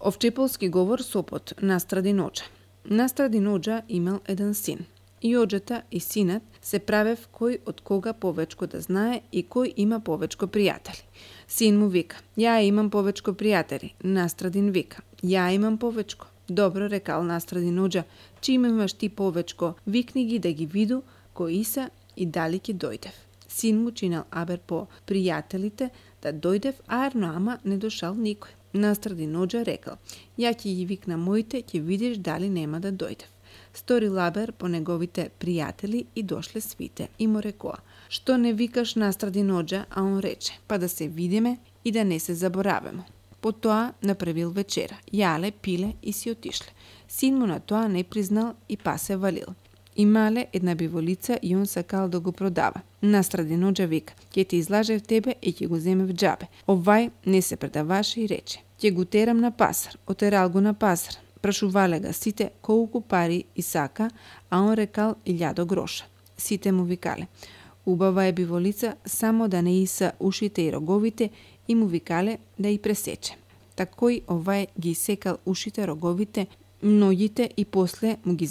Овчеполски говор сопот настради Оџа. Настради Оџа имал еден син. И оџата и синат се правев кој од кога повечко да знае и кој има повечко пријатели. Син му вика: ја имам повечко пријатели. Настрадин вика: ја имам повечко. Добро, рекал Настрадин Оџа, чим имаш ти повечко, викни ги да ги виду кои се и дали ќе дојдев. Син му чинал абер по пријателите да дојдев, ама не дошал никој. Настрадин Оџа рекал: ја ќе ги викна моите, ќе видиш дали нема да дојдев. Стори лабер по неговите пријатели и дошле свите и му рекоа: што не викаш Настрадин Оџа? А он рече: па да се видиме и да не се заборавимо. Потоа направил вечера, јале, пиле и си отишле. Син му на тоа не признал и па се валил. Имале една биволица и он сакал да го продава. Настрадин Оџа вика: ќе те излажев тебе и ќе го земе в џабе. Овај не се предаваше и рече: ќе го терам на пазар. Отерал го на пазар. Прашувале ga сите колку пари и сака, а он рекал 1000 гроша. Сите му викале: убава е биволица, само да не иса ушите и роговите, и му викале да и пресече. Такој овај ги секал ушите, роговите, ноѓите и после му ги